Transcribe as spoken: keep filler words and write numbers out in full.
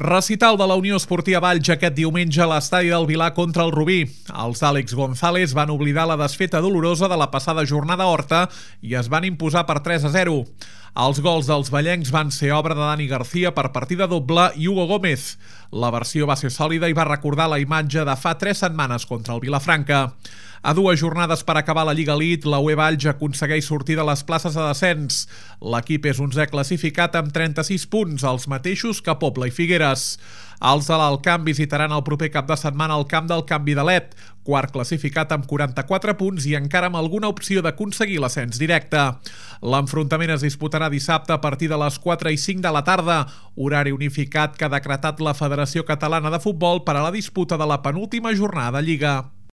Recital de la Unió Esportiva Valls aquest diumenge a l'estadi del Vilar contra el Rubí. Els Àlex González van oblidar la desfeta dolorosa de la passada jornada a Horta i es van imposar per tres a zero. Els gols dels vallencs van ser obra de Dani García per partida doble i Hugo Gómez. La versió va ser sòlida i va recordar la imatge de fa tres setmanes contra el Vilafranca. A dues jornades per acabar la Lliga Elite, la U E Valls aconsegueix sortir de les places de descens. L'equip és onzè classificat amb trenta-sis punts, els mateixos que Pobla i Figueres. Els de l'Alt Camp visitaran el proper cap de setmana al camp del Can Vidalet, quart classificat amb quaranta-quatre punts i encara amb alguna opció d'aconseguir l'ascens directe. L'enfrontament es disputarà dissabte a partir de les quatre i cinc de la tarda, horari unificat que ha decretat la Federació Catalana de Futbol per a la disputa de la penúltima jornada de Lliga.